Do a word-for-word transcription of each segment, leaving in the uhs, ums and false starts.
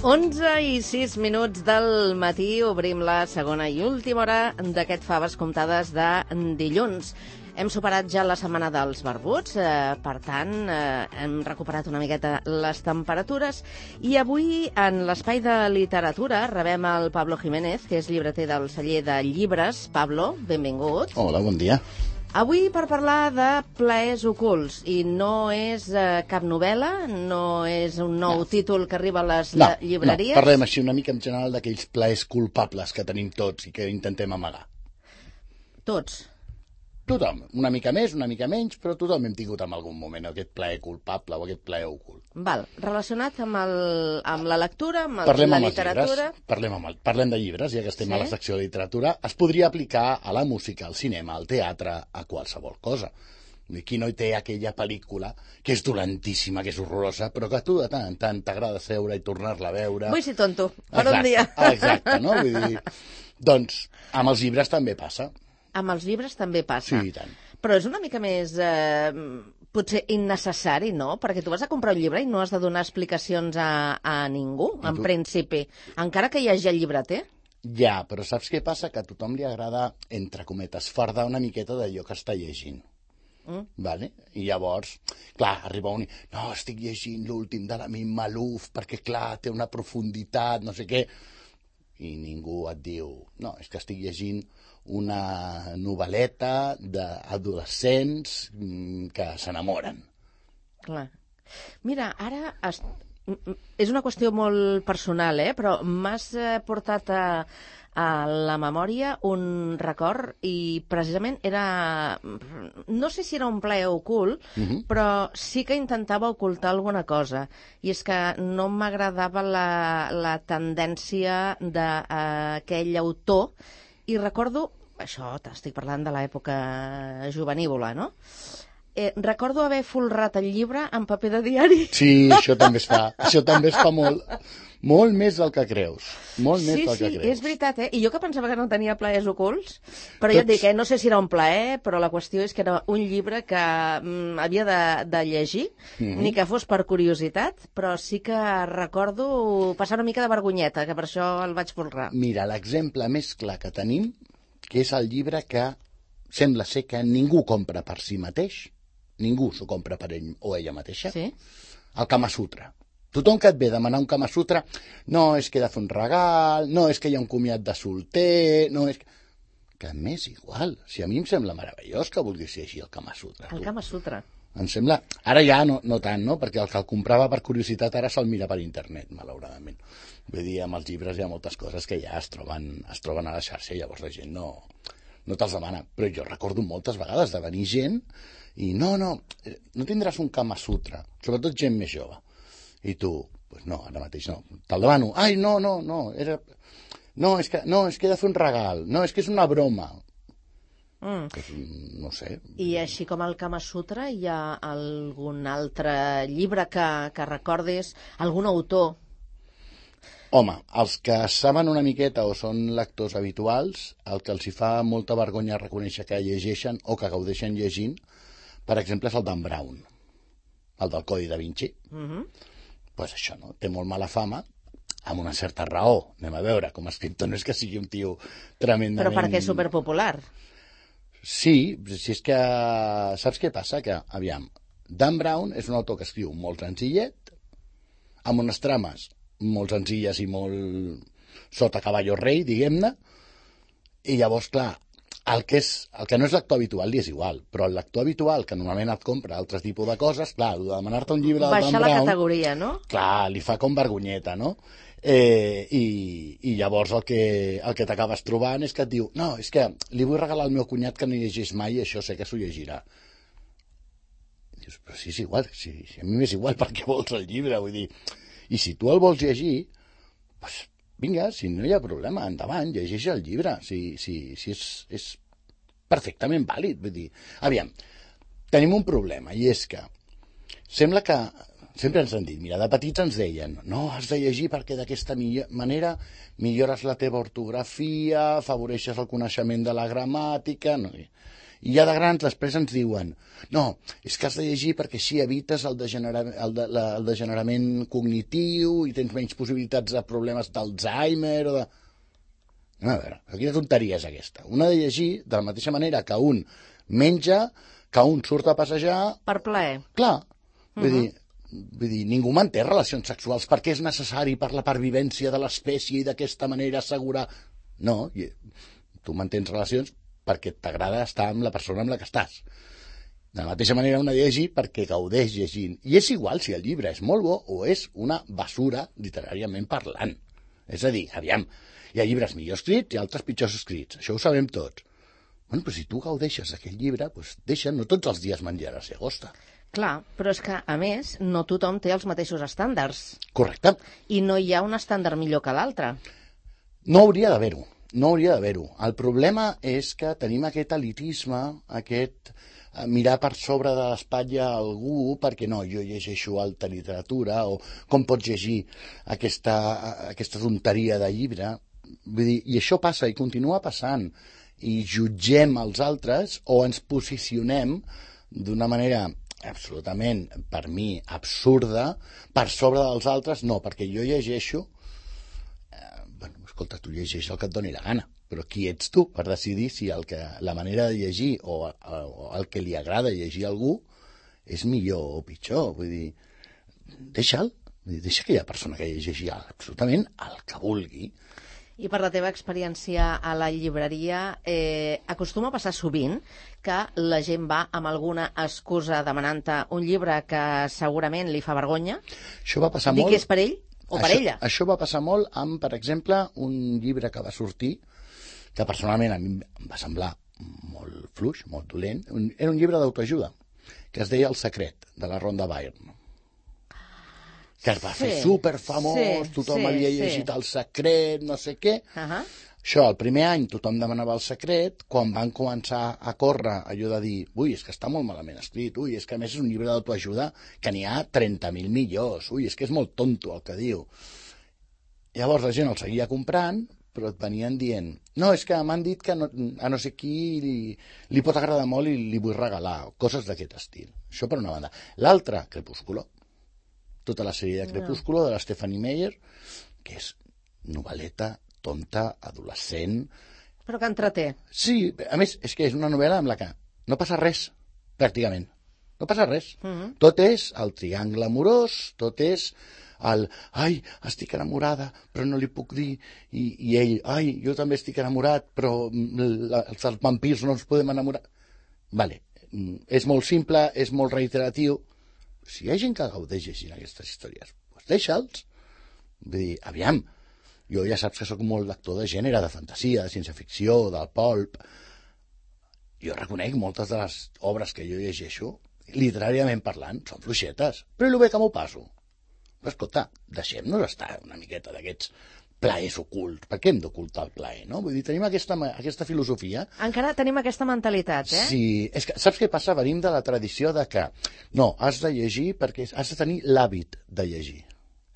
onze i sis minuts del matí obrim la segona i última hora d'aquest Faves Comptades de dilluns. Hem superat ja la setmana dels barbuts, eh, per tant, eh, hem recuperat una miqueta les temperatures i avui, en l'espai de literatura, rebem el Pablo Jiménez, que és llibreter del celler de llibres. Pablo, benvingut. Hola, bon dia. Avui per parlar de plaers ocults, i no és eh, cap novel·la, no és un nou no. títol que arriba a les no, llibreries. No, parlem així una mica en general d'aquells plaers culpables que tenim tots i que intentem amagar. Tots? Tothom, una mica més, una mica menys, però tothom hem tingut en algun moment aquest plaer culpable o aquest plaer ocult. Val, relacionat amb, el, amb la lectura, amb el, parlem la amb literatura... Parlem, amb el, parlem de llibres, ja que estem sí? a la secció de literatura. Es podria aplicar a la música, al cinema, al teatre, a qualsevol cosa. Qui no hi té aquella pel·lícula que és dolentíssima, que és horrorosa, però que a tu de tant en tant t'agrada seure i tornar-la a veure... Vull ser tonto, per exacte, un dia. Exacte, no? Vull dir... Doncs amb els llibres també passa. Amb els llibres també passa. Sí, i tant. Però és una mica més, eh, potser innecessari, no? Perquè tu vas a comprar un llibre i no has de donar explicacions a, a ningú, en tu... principi. Encara que hi hagi el llibreter. Ja, però saps què passa? Que a tothom li agrada, entre cometes, fardar una miqueta d'allò que està llegint. Mm. Vale? I llavors, clar, arriba un... No, estic llegint l'últim de la Mim Malouf perquè, clar, té una profunditat, no sé què... I ningú et diu... No, és que estic llegint una novel·leta d'adolescents que s'enamoren. Clar. Mira, ara es... és una qüestió molt personal, eh? Però m'has portat a, a la memòria un record i precisament era... No sé si era un plaer ocult, uh-huh. però sí que intentava ocultar alguna cosa. I és que no m'agradava la, la tendència d'aquell autor. I recordo, això t'estic parlant de l'època juvenívola, no? Eh, recordo haver folrat el llibre en paper de diari. Sí, això també es fa. Això també es fa molt. Molt més del que creus. Molt més sí, del que sí, creus. Sí, és veritat, eh? I jo que pensava que no tenia plaers ocults, però Tots... ja et dic, eh? No sé si era un plaer, però la qüestió és que era un llibre que mm, havia de, de llegir, mm-hmm. ni que fos per curiositat, però sí que recordo passar una mica de vergonyeta, que per això el vaig folrar. Mira, l'exemple més clar que tenim, que és el llibre que sembla ser que ningú compra per si mateix, ningú s'ho compra per ell o ella mateixa, sí? El Kama Sutra. Tothom que et ve a demanar un Kama Sutra, no, és que he de fer un regal, no, és que hi ha un comiat de solter, no, és que... Que m'és igual. Si a mi em sembla meravellós que vulguis llegir el Kama Sutra. El tu. Kama Sutra. Em sembla... Ara ja no, no tant, no? Perquè el que el comprava per curiositat ara se'l mira per internet, malauradament. Vull dir, amb els llibres hi ha moltes coses que ja es troben, es troben a la xarxa i llavors la gent no, no te'ls demana. Però jo recordo moltes vegades de venir gent i no, no, no tindràs un Kama Sutra, sobretot gent més jove. I tu, pues no, ara mateix no. Te'l demano. Ai, no, no, no, era... No, és que, no, és que he de fer un regal. No, és que és una broma. Mm. Pues, no sé. I així com el Kama Sutra, hi ha algun altre llibre que, que recordis, algun autor? Home, els que saben una miqueta o són lectors habituals, el que els hi fa molta vergonya reconèixer que llegeixen o que gaudeixen llegint, per exemple, és el Dan Brown, el del Codi da Vinci. Mm-hmm. Pues això, no? Té molt mala fama, amb una certa raó. Anem a veure, com a escriptor no és que sigui un tio tremendament... Però perquè és superpopular. Sí, si és que... Saps què passa? Que, aviam, Dan Brown és un autor que escriu molt senzillet, amb unes trames molt senzilles i molt sota caballo rei, diguem-ne, i llavors, clar, el que, és, el que no és lector habitual li és igual, però el lector habitual, que normalment et compra altres tipus de coses, clar, de demanar-te un llibre de Dan Brown... Baixar la categoria, no? Clar, li fa com vergonyeta, no? Eh, i, I llavors el que, el que t'acabes trobant és que et diu no, és que li vull regalar al meu cunyat que no llegeix mai i això sé que s'ho llegirà. I dius, però si és igual, si, si a mi m'és igual, per què vols el llibre? Vull dir, i si tu el vols llegir, doncs vinga, si no hi ha problema, endavant, llegeix el llibre, si, si, si és, és perfectament vàlid. Vull dir, aviam, tenim un problema, i és que sembla que, sempre ens han dit, mira, de petits ens deien, no, has de llegir perquè d'aquesta manera millores la teva ortografia, afavoreixes el coneixement de la gramàtica, no? I ja de grans després ens diuen no, és que has de llegir perquè així evites el, degenera el, de la, el degenerament cognitiu i tens menys possibilitats de problemes d'Alzheimer o de... No, a veure, quina tonteria és aquesta? Un ha de llegir de la mateixa manera que un menja, que un surt a passejar... Per plaer. Clar, vull uh -huh. dir... Vull dir, ningú manté relacions sexuals perquè és necessari per la pervivència de l'espècie i d'aquesta manera assegurar... No, tu mantens relacions perquè t'agrada estar amb la persona amb la que estàs. De la mateixa manera un ha de llegir perquè gaudeix llegint. I és igual si el llibre és molt bo o és una basura literàriament parlant. És a dir, aviam, hi ha llibres millor escrits i altres pitjors escrits. Això ho sabem tots. Bueno, però si tu gaudeixes d'aquell llibre, doncs deixa, no tots els dies menjaràs llagosta. Clar, però és que, a més, no tothom té els mateixos estàndards. Correcte. I no hi ha un estàndard millor que l'altre. No hauria d'haver-ho, no hauria d'haver-ho. El problema és que tenim aquest elitisme, aquest mirar per sobre de l'espatlla a algú perquè no, jo llegeixo alta literatura o com pots llegir aquesta, aquesta tonteria de llibre. Vull dir, i això passa i continua passant. I jutgem els altres o ens posicionem d'una manera absolutament, per mi, absurda, per sobre dels altres, no, perquè jo llegeixo, eh, bueno, escolta, tu llegeix el que et doni la gana, però qui ets tu per decidir si el que, la manera de llegir o, o el que li agrada llegir a algú és millor o pitjor, vull dir, deixa'l, deixa aquella persona que llegeixi absolutament el que vulgui. I per la teva experiència a la llibreria, eh, acostuma a passar sovint que la gent va amb alguna excusa demanant-te un llibre que segurament li fa vergonya? Això va passar Dir molt... que és per ell o això, per ella? Això va passar molt amb, per exemple, un llibre que va sortir, que personalment a mi em va semblar molt fluix, molt dolent. Un, era un llibre d'autoajuda, que es deia El secret, de la Rhonda Byrne, que es va sí, fer superfamós, sí, tothom sí, havia llegit sí. El secret, no sé què. Uh -huh. Això, el primer any tothom demanava El secret, quan van començar a córrer allò de dir, ui, és que està molt malament escrit, ui, és que a més és un llibre d'autoajuda que n'hi ha trenta mil millors, ui, és que és molt tonto el que diu. Llavors la gent el seguia comprant, però et venien dient, no, és que m'han dit que no, a no sé qui li, li pot agradar molt i li vull regalar, coses d'aquest estil. Això per una banda. L'altra, Crepúsculo. Tota la sèrie de Crepúsculo no. de la Stephanie Meyer, que és novel·leta, tonta, adolescent... Però que entreté. Sí, a més, és que és una novel·la amb la que no passa res, pràcticament. No passa res. Uh -huh. Tot és el triangle amorós, tot és el... Ai, estic enamorada, però no li puc dir. I, i ell, ai, jo també estic enamorat, però la, els vampirs no ens podem enamorar. Vale, és molt simple, és molt reiteratiu. Si hi ha gent que gaudeix llegint aquestes històries, doncs deixa'ls. Vull dir, aviam, jo ja saps que sóc molt lector de gènere, de fantasia, de ciència-ficció, del pulp. Jo reconec moltes de les obres que jo llegeixo, literàriament parlant, són fluixetes, però i el bé que m'ho passo. Però escolta, deixem-nos estar una miqueta d'aquests plaers ocults. Per què hem d'ocultar el plaer, no? Vull dir, tenim aquesta, aquesta filosofia... Encara tenim aquesta mentalitat, eh? Sí, és que, saps què passa? Venim de la tradició de que, no, has de llegir perquè has de tenir l'hàbit de llegir.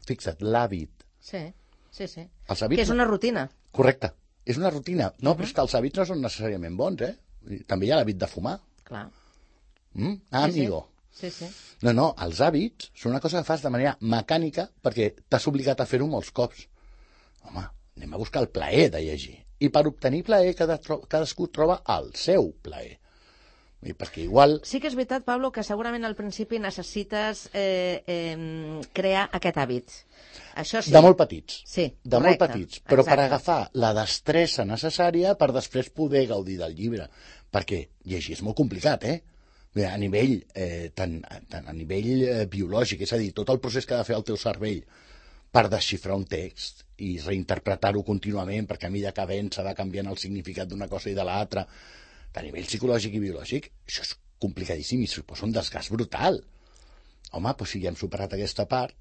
Fixa't, l'hàbit. Sí, sí, sí. Els hàbits... Que és una rutina. Correcte, és una rutina. No, uh -huh. Però és que els hàbits no són necessàriament bons, eh? També hi ha l'hàbit de fumar. Clar. Mm? Ah, sí, amigo. Sí, sí. No, no, els hàbits són una cosa que fas de manera mecànica perquè t'has obligat a fer-ho molts cops. Home, anem a buscar el plaer de llegir. I per obtenir plaer, cada, cadascú troba el seu plaer. I perquè igual... Sí que és veritat, Pablo, que segurament al principi necessites eh, eh, crear aquest hàbit. Això sí. De molt petits. Sí, De correcte, molt petits. Però exacte. Per agafar la destressa necessària per després poder gaudir del llibre. Perquè llegir és molt complicat, eh? A nivell, eh, tant, tant a nivell eh, biològic, és a dir, tot el procés que ha de fer el teu cervell per desxifrar un text i reinterpretar-ho contínuament perquè a mesura que avança va canviant el significat d'una cosa i de l'altra, a nivell psicològic i biològic, això és complicadíssim i suposa un desgast brutal. Home, doncs si ja hem superat aquesta part,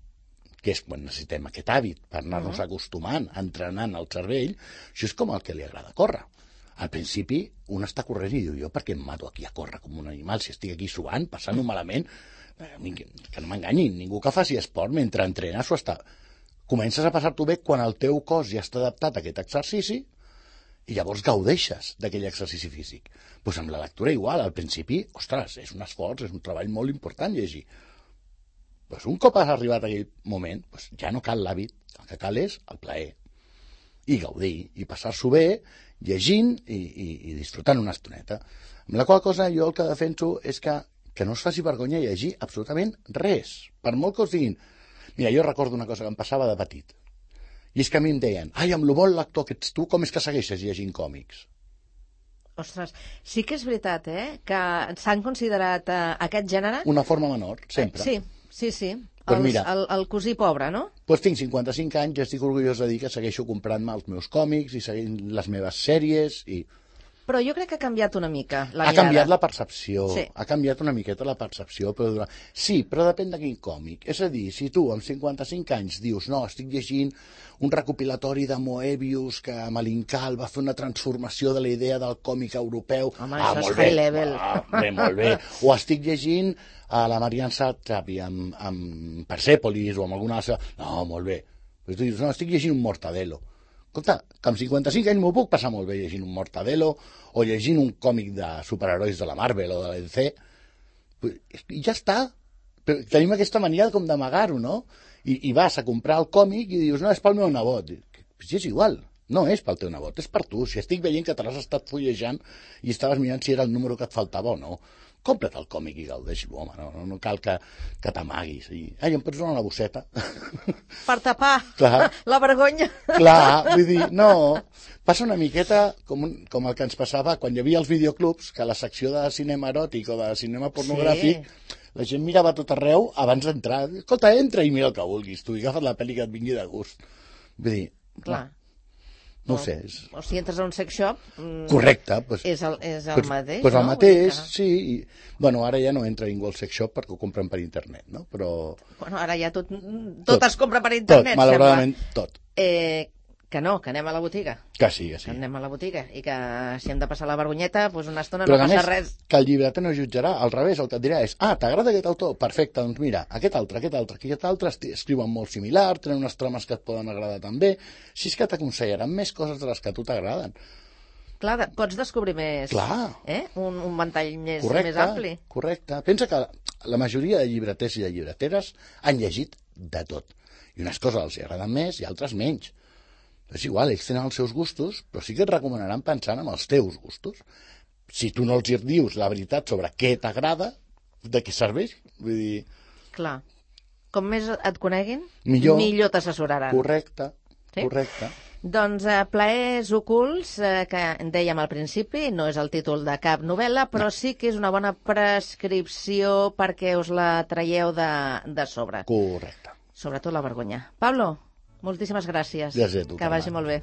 que és quan necessitem aquest hàbit per anar-nos uh-huh. acostumant, entrenant el cervell, això és com el que li agrada córrer. Al principi, un està corrent i diu, jo per què em mato aquí a córrer com un animal si estic aquí suant, passant-ho malament? Que no m'enganyin, ningú que faci esport mentre entrena s'ho està... Comences a passar-t'ho bé quan el teu cos ja està adaptat a aquest exercici i llavors gaudeixes d'aquell exercici físic. Doncs amb la lectura igual, al principi, ostres, és un esforç, és un treball molt important llegir. Doncs un cop has arribat a aquell moment, doncs ja no cal l'hàbit, el que cal és el plaer. I gaudir, i passar-s'ho bé, llegint i, i, i disfrutant una estoneta. Amb la qual cosa jo el que defenso és que, que no es faci vergonya llegir absolutament res. Per molt que us diguin... Mira, jo recordo una cosa que em passava de petit. I és que a mi em deien, ai, amb lo bon lector que ets tu, com és que segueixes llegint còmics? Ostres, sí que és veritat, eh?, que s'han considerat eh, aquest gènere... Una forma menor, sempre. Sí, sí, sí. Pues el, mira, el, el cosí pobre, no? Doncs tinc cinquanta-cinc anys i estic orgullós de dir que segueixo comprant-me els meus còmics i seguint les meves sèries i... Però jo crec que ha canviat una mica la ha mirada. canviat la percepció, sí. ha canviat una miqueta la percepció, però durant... sí, però depèn de quin còmic. És a dir, si tu amb cinquanta-cinc anys dius no, estic llegint un recopilatori de Moebius que Malincal va fer una transformació de la idea del còmic europeu... Home, ah, això molt és bé, high level. Ah, bé, molt bé. O estic llegint a la Marianne Satrapi amb, amb Persepolis o amb alguna altra... No, molt bé. Però tu dius, no, estic llegint un Mortadelo. Escolta, que amb cinquanta-cinc anys m'ho puc passar molt bé llegint un Mortadelo o llegint un còmic de superherois de la Marvel o de la D C. I ja està. Però tenim aquesta mania com d'amagar-ho, no? I, I vas a comprar el còmic i dius, no, és pel meu nebot. Si és igual, no és pel teu nebot, és per tu. Si estic veient que te l'has estat fullejant i estaves mirant si era el número que et faltava o no, compra't el còmic i gaudeix-lo, home, no, no cal que, que t'amaguis. I, ai, em pots donar una bosseta? Per tapar Clar. la vergonya. Clar, vull dir, no, passa una miqueta com, un, com el que ens passava quan hi havia els videoclubs, que a la secció de cinema eròtic o de cinema pornogràfic, sí. La gent mirava a tot arreu abans d'entrar. Escolta, entra i mira el que vulguis, tu, i agafa't la pel·li que et vingui de gust. Vull dir, clar. No o, ho sé. És... O si entres a un sex shop... Mm, correcte. Pues, és el, és el pues, mateix, pues no? el mateix, que... sí. I, bueno, ara ja no entra ningú al sex shop perquè ho compren per internet, no? Però... Bueno, ara ja tot, tot, tot es compra per internet, tot, malauradament, sembla. tot. Eh, que no, que anem a la botiga. Que sí, que sí. Que anem a la botiga i que si hem de passar la vergonyeta, doncs una estona Però no passa més, res. Que el llibreter no jutjarà, al revés, el que et dirà és, ah, t'agrada aquest autor? Perfecte, doncs mira, aquest altre, aquest altre, aquest altre escriuen molt similar, tenen unes trames que et poden agradar també, si és que t'aconsellaran més coses de les que a tu t'agraden. Clar, pots descobrir més, Clar. Eh? Un, un ventall més, correcte, més ampli. Correcte. Pensa que la majoria de llibreters i de llibreteres han llegit de tot. I unes coses els agraden més i altres menys. És igual, ells tenen els seus gustos, però sí que et recomanaran pensant en els teus gustos. Si tu no els dius la veritat sobre què t'agrada, de què serveix? Vull dir... Clar. Com més et coneguin, millor, millor t'assessoraran. Correcte, sí? correcte. Doncs eh, Plaers ocults, eh, que dèiem al principi, no és el títol de cap novel·la, però no. Sí que és una bona prescripció perquè us la traieu de, de sobre. Correcte. Sobretot la vergonya. Pablo, moltíssimes gràcies. Gràcies a tu, que vagi Carme. molt bé.